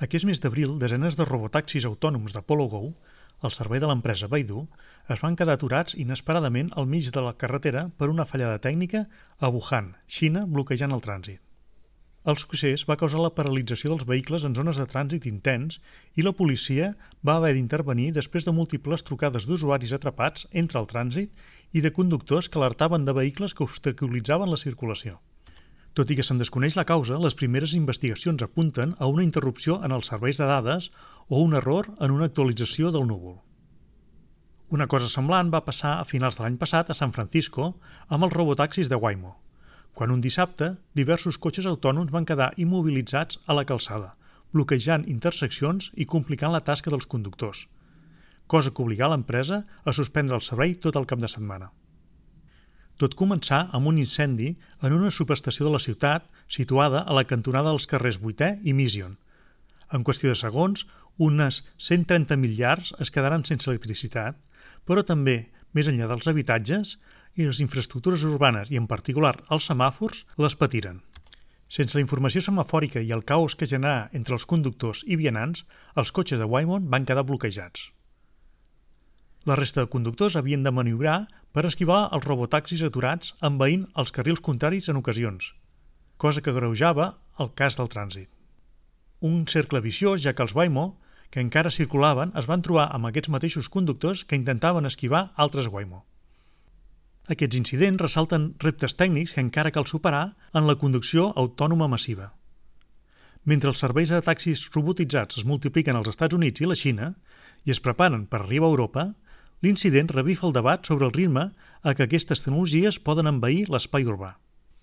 Aquest mes d'abril, desenes de robotaxis autònoms d'Apollo Go, el servei de l'empresa Baidu, es van quedar aturats inesperadament al mig de la carretera per una fallada tècnica a Wuhan, Xina, bloquejant el trànsit. El succés va causar la paralització dels vehicles en zones de trànsit intens i la policia va haver d'intervenir després de múltiples trucades d'usuaris atrapats entre el trànsit i de conductors que alertaven de vehicles que obstaculitzaven la circulació. Tot i que se'n desconeix la causa, les primeres investigacions apunten a una interrupció en els serveis de dades o un error en una actualització del núvol. Una cosa semblant va passar a finals de l'any passat a San Francisco amb els robotaxis de Waymo, quan un dissabte diversos cotxes autònoms van quedar immobilitzats a la calçada, bloquejant interseccions i complicant la tasca dels conductors, cosa que obligà l'empresa a suspendre el servei tot el cap de setmana. Tot començà amb un incendi en una subestació de la ciutat situada a la cantonada dels carrers 8è i Mission. En qüestió de segons, unes 130.000 llars es quedaren sense electricitat, però també, més enllà dels habitatges, i les infraestructures urbanes, i en particular els semàfors, les patiren. Sense la informació semafòrica i el caos que generà entre els conductors i vianants, els cotxes de Waymo van quedar bloquejats. La resta de conductors havien de maniobrar per esquivar els robotaxis aturats envaint els carrils contraris en ocasions, cosa que agreujava el cas del trànsit. Un cercle viciós, ja que els Waymo, que encara circulaven, es van trobar amb aquests mateixos conductors que intentaven esquivar altres Waymo. Aquests incidents ressalten reptes tècnics que encara cal superar en la conducció autònoma massiva. Mentre els serveis de taxis robotitzats es multipliquen als Estats Units i la Xina i es preparen per arribar a Europa, l'incident revifa el debat sobre el ritme a què aquestes tecnologies poden envair l'espai urbà.